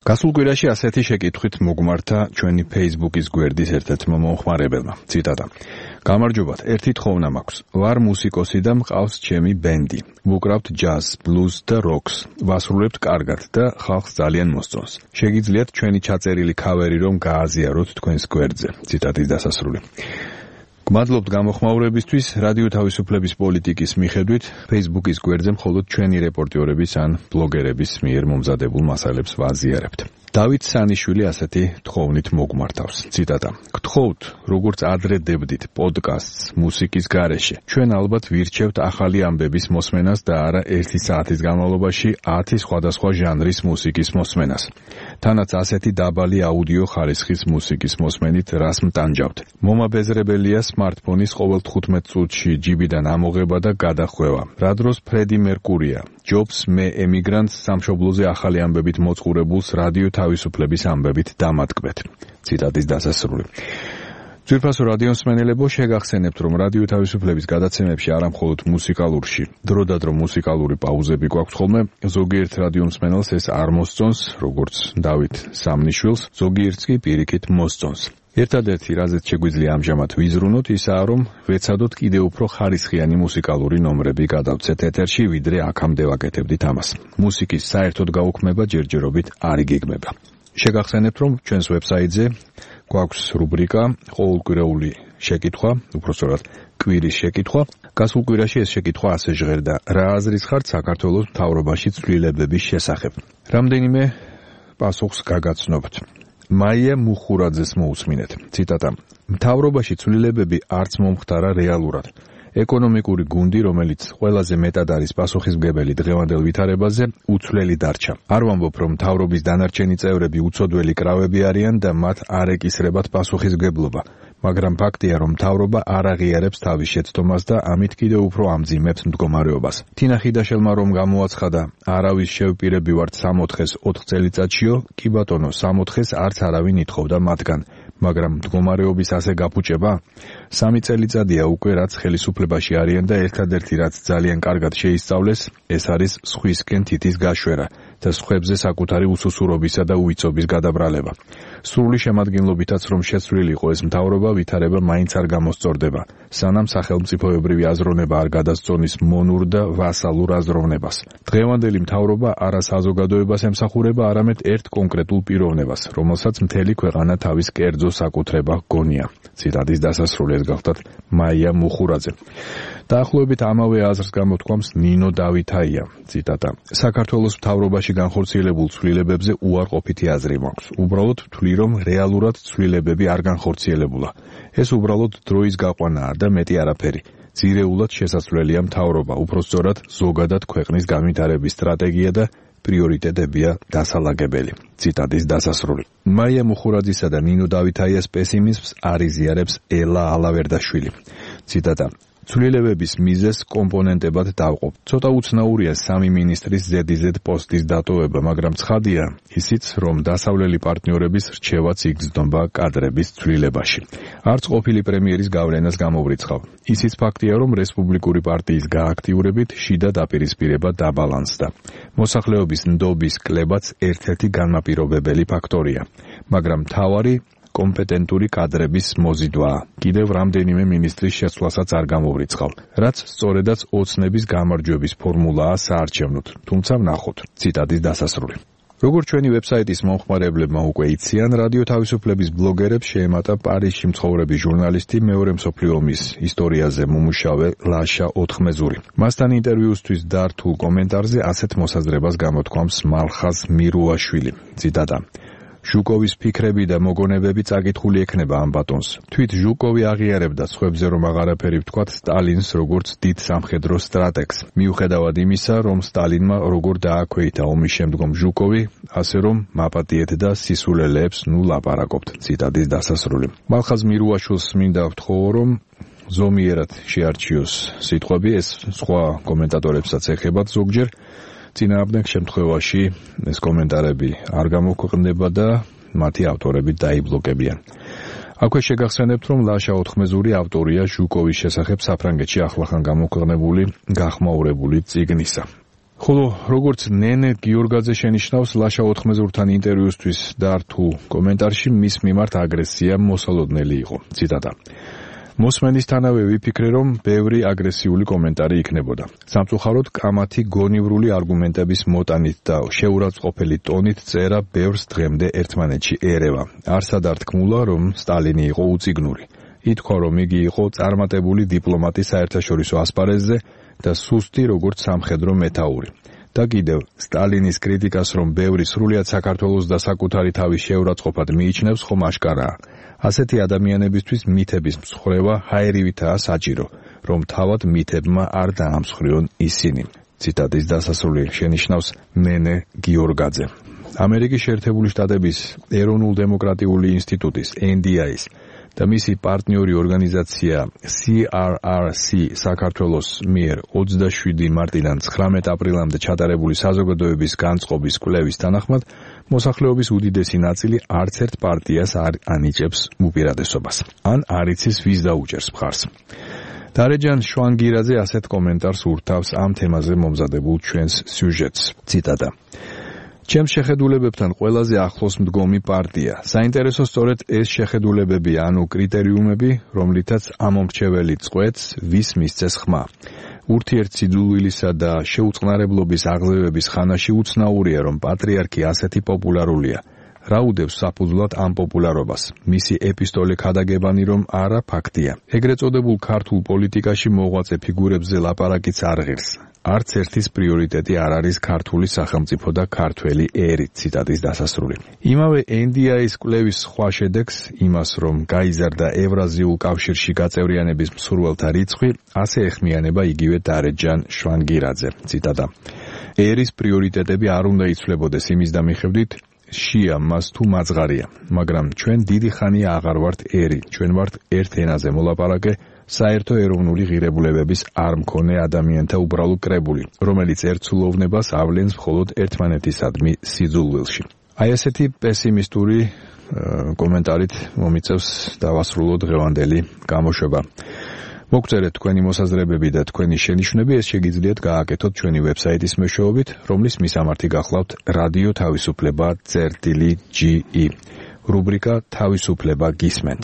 გასულ კვირაში ასეთი შეკითხვით მოგმართა ჩვენი Facebook-ის გვერდის ერთ-ერთმა მომხმარებელმა. ციტატა. გამარჯობათ, ერთი თხოვნა მაქვს. ვარ მუსიკოსი და მყავს ჩემი ბენდი. ვუკრავთ ჯაზ, ბლუზ და როკს. ვასრულებთ კარგად და ხალხს ძალიან მოსწონს. შეგიძლიათ ჩვენი ჩაწერილი ქავერი რომ გააზიაროთ თქვენს გვერდზე. ციტატის დასასრული. გმადლობთ გამოხმაურებისთვის. რადიო თავისუფლების პოლიტიკის მიხედვით Facebook-ის გვერდზე მხოლოდ ჩვენი რეპორტიორების ან ბლოგერების მიერ მომზადებულ მასალებს ვაზიარებთ. დავით სანიშვილი ასეთი თხოვნით მოგმართავს. ციტატა. გთხოვთ, როგორც ადრე დებდით პოდკასტს მუსიკის გარეშე. ჩვენ ალბათ ვირჩევთ ახალი ამბების მოსმენას და არა 1 საათის განმავლობაში 10 სხვადასხვა ჟანრის მუსიკის მოსმენას. თანაც ასეთი დაბალი აუდიო ხარისხის მუსიკის მოსმენით რას მტანჯავთ. მომაბეზრებელია სმარტფონის ყოველ 15 წუთში ჯიბიდან ამოღება და გადახვევა. რა დროს ფრედი მერკურია, ჯობს მე ემიგრანტს სამშობლოზე ახალი ამბებით მოწყურებულს რადიო თავისუფლების ამბებით დამატკბეთ. ციტატის დასასრული. ძვირფასო რადიომსმენელებო, შეგახსენებთ, რომ რადიო თავისუფლების გადაცემებში არა მხოლოდ მუსიკალურში, დროდადრო მუსიკალური პაუზები გვაქვს ხოლმე, ზოგიერთ რადიომსმენელს ეს არ მოსწონს, როგორც დავით სამნიშვილს, ზოგიერთს კი პირიქით მოსწონს. ერთადერთი, რაზეც შეგვიძლია ამჟამად ვიზრუნოთ, ისაა, რომ ვეცადოთ კიდევ უფრო ხარისხიანი მუსიკალური ნომრები გადავცეთ ეთერში, ვიდრე აქამდე ვაკეთებდით ამას. მუსიკის საერთოდ გაუქმება ჯერჯერობით არ იგეგმება. შეგახსენებთ, რომ ჩვენს ვებსაიტზე გვაქვს რუბრიკა ყოველკვირეული შეკითხვა, უпростоრად კვირის შეკითხვა. გასულ კვირაში ეს შეკითხვა ასე ჟღერდა: რა აზრის ხართ საქართველოს მთავრობაში ცვლილებების შესახებ? რამდენიმე პასუხს გაგაცნობთ. მაია მუხურაძეს მოусმინეთ. ციტატა. მთავრობაში ცვლილებები არც მომხდარა რეალურად. ეკონომიკური გუნდი, რომელიც ყველაზე მეტად არის პასუხისმგებელი დღევანდელ ვითარებაზე, უცვლელი დარჩა. არ ვამბობ, რომ მთავრობის დანარჩენი წევრები უცოდველი კრავები არიან და მათ არ ეკისრებათ პასუხისმგებლობა, მაგრამ ფაქტია, რომ მთავრობა არ აღიარებს თავის შეცდომას და ამით კიდევ უფრო ამძიმებს მდგომარეობას. თინა ხიდაშელმა რომ გამოაცხადა, არავის შევპირები ვართ 64-ს 4 წელიწადშიო, კი ბატონო, 64-ს არც არავინ ითხოვდა მათგან. მაგრამ მდგომარეობის ასე გაფუჭება? 3 წელიწადია უკვე რაც ხელისუფლებაში არიან და ერთადერთი რაც ძალიან კარგად შეისწავლეს, ეს არის სხვისკენ თითის გაშვერა და სხვებზე საკუთარი უსუსურობისა და უვიცობის გადაბრალება. სრული შემადგენლობითაც რომ შეცვლილი იყო ეს მთავრობა, ვითარება მაინც არ გამოსწორდება, სანამ სახელმწიფოებრივი აზროვნება არ გადასწონის მონურ და ვასალურ აზროვნებას. დღევანდელი მთავრობა არა საზოგადოებას ემსახურება, არამედ ერთ კონკრეტულ პიროვნებას, რომელსაც მთელი ქვეყანა თავის კერძო საკუთრება გონია. ციტატის დასასრული. ეს გახლდათ მაია მუხურაძე. დაახლოებით ამავე აზრს გამოთქვამს ნინო დავითაია. ციტატა. საქართველოს მთავრობაში განხორციელებულ ცვლილებებზე უარყოფითი აზრი მაქვს. უბრალოდ ვთვლი, რომ რეალურად ცვლილებები არ განხორციელებულა. ეს უბრალოდ დროის გაყვანაა და მეტი არაფერი. ძირეულად შესაძლებელია მთავრობა, უпростоრად ზოგადად ქვეყნის განვითარების სტრატეგია და პრიორიტეტებია დასალაგებელი. ციტატის დასასრული. მაია მუხურაძისა და ნინო დავითაიას პესიმიზმს არ იზიარებს ელა ალავერდაშვილი. ციტატა. ცვლილებების მიზეზს კომპონენტებად დავყოფ. ცოტა უცნაურია 3 მინისტრის ზედიზედ პოსტის დატოვება, მაგრამ ცხადია ისიც, რომ დასავლელი პარტნიორების რჩევაც იგრძნობა კადრების ცვლილებაში. არც ყოფილი პრემიერის გავლენას გამოვრიცხავ. ისიც ფაქტია, რომ რესპუბლიკური პარტიის გააქტიურებით შიდა დაპირისპირება დაბალანსდა. მოსახლეობის ნდობის კლებაც ერთ-ერთი განმაპირობებელი ფაქტორია, მაგრამ მთავარი კომპეტენტური კადრების მოზიდვაა. კიდევ რამდენიმე მინისტრის შეცვლასაც არ გამოვრიცხავ, რაც სწორედაც ოცნების გამარჯვების ფორმულაა საარჩევნოდ, თუმცა ვნახოთ. ციტატის დასასრული. როგორც ჩვენი ვებსაიტის მომხმარებლებმა უკვე იციან, რადიო თავისუფლების ბლოგერებს შეემატა პარიზში მცხოვრები ჟურნალისტი, მეორე მსოფლიო ომის ისტორიაზე მომუშავე ლაშა ოთხმეზური. მასთან ინტერვიუსთვის დართულ კომენტარზე ასეთ მოსაზრებას გამოთქვამს მალხაზ მირუაშვილი. ციტატა. ჟუკოვის ფიქრები და მოგონებები წაკითხული ექნება ამ ბატონს. თვით ჟუკოვი აღიარებდა სხვებზე რომ აღარაფერი ვთქვათ სტალინს როგორც დიდ სამხედრო სტრატეგს. მიუხედავად იმისა, რომ სტალინმა როგორ დააქვეითა ომის შემდგომ ჟუკოვი, ასე რომ მაპატიეთ და სისულელეებს ლაპარაკობთ. ციტატის დასასრული. მალხაზ მირუაშვილს მინდა ვთხოვო, რომ ზომიერად შეარჩიოს სიტყვები, ეს სხვა კომენტატორებსაც ეხებათ ზოგჯერ. წინააღმდეგ შემთხვევაში ეს კომენტარები არ გამოქვეყნდება და მათი ავტორები დაიბლოკებიან. აქვე შეგახსენებთ, რომ ლაშა ოთხმეზური ავტორია ჟუკოვის შესახებ საფრანგეთში ახლახან გამოქვეყნებული გახმაურებული წიგნისა. ხოლო როგორც ნენე გიორგაძე შენიშნავს ლაშა ოთხმეზურთან ინტერვიუსთვის დართულ კომენტარში მის მიმართ აგრესია მოსალოდნელი იყო. ციტატა: მოსმენისთანავე ვიფიქრე, რომ ბევრი აგრესიული კომენტარი იქნებოდა. სამწუხაროდ, კამათი გონივრული არგუმენტების მოტანით და შეურაცხყოფელი ტონით წერა ბევრს დღემდე ერთმანეთში ერევა. არსად არ თქმულა, რომ სტალინი იყო უწიგნური. ითქვა, რომ იგი იყო წარმატებული დიპლომატი საერთაშორისო ასპარეზზე და სუსტი როგორც სამხედრო მეთაური. და კიდევ, სტალინის კრიტიკას, რომ ბევრი სრულიად საქართველოს და საკუთარი თავის შეურაცხყოფად მიიჩნევს, ხომ აშკარაა. ასეთი ადამიანებისთვის მითების მსხრევა ჰაერივითაა საჭირო, რომ თავად მითებმა არ დაამსხვრიონ ისინი. ციტატის დასასრული შენიშნავს ნენე გიორგაძე. ამერიკის შეერთებული შტატების ეროვნულ-დემოკრატიული ინსტიტუტის NDI-ის და მისი პარტნიორი ორგანიზაცია CRRC საქართველოს მიერ 27 მარტიდან 19 აპრილამდე ჩატარებული საზოგადოების განწყობის კვლევის თანახმად მოსახლეობის უდიდესი ნაწილი არც ერთ პარტიას არ ანიჭებს უპირატესობას. ან არ იცის ვის დაუჭერს მხარს. დარეჯან შვანგირაძე ასეთ კომენტარს ურთავს ამ თემაზე მომზადებულ ჩვენს სიუჟეტს. ციტატა: ჩემს შეხედულებებთან ყველაზე ახლოს მდგომი პარტია. საინტერესო სწორედ ეს შეხედულებები, ანუ კრიტერიუმები, რომლითაც ამომრჩეველი წყვეტს, ვის მისცეს ხმა. ურთიერთსიძულვილისა და შეუწყნარებლობის აღზევების ხანაში უცნაურია, რომ პატრიარქი ასეთი პოპულარულია. რა უდევს საფუძვლად ამ პოპულარობას? მისი ეპისტოლე ქადაგებანი, რომ არა ფაქტია. ეგრეთ წოდებულ ქართულ პოლიტიკაში მოღვაწე ფიგურებზე ლაპარაკიც არ ღირს. არც ერთის პრიორიტეტი არ არის ქართული სახელმწიფო და ქართველი ერი. ციტატის დასასრული. იმავე NDI-ის კვლევის სხვა შედეგს, იმას, რომ გაიზარდა ევრაზიულ კავშირში გაწევრიანების მსურველთა რიცხვი, ასე ეხმიანება იგივე დარეჯან შვანგირაძე. ციტატა: ერის პრიორიტეტები არ უნდა იცვლებოდეს იმის დამიხედვით, შია მას თუ მაძღარია, მაგრამ ჩვენ დიდი ხანია აღარ ვართ ერი, ჩვენ ვართ ერთ ენაზე მოლაპარაკე, საერთო ეროვნული ღირებულებების არ მქონე ადამიანთა უბრალო კრებული, რომელიც ერთსულოვნებას ავლენს მხოლოდ ერთმანეთისადმი სიძულვილში. აი ესეთი პესიმისტური კომენტარით მომიწევს დავასრულოთ დღევანდელი გამოშვება. მოგწერეთ თქვენი მოსაზრებები და თქვენი შენიშვნები, ეს შეგიძლიათ გააკეთოთ ჩვენი ვებსაიტის მეშვეობით, რომლის მისამართი გახლავთ რადიო თავისუფლება წერტილი GE. რუბრიკა თავისუფლება გისმენთ.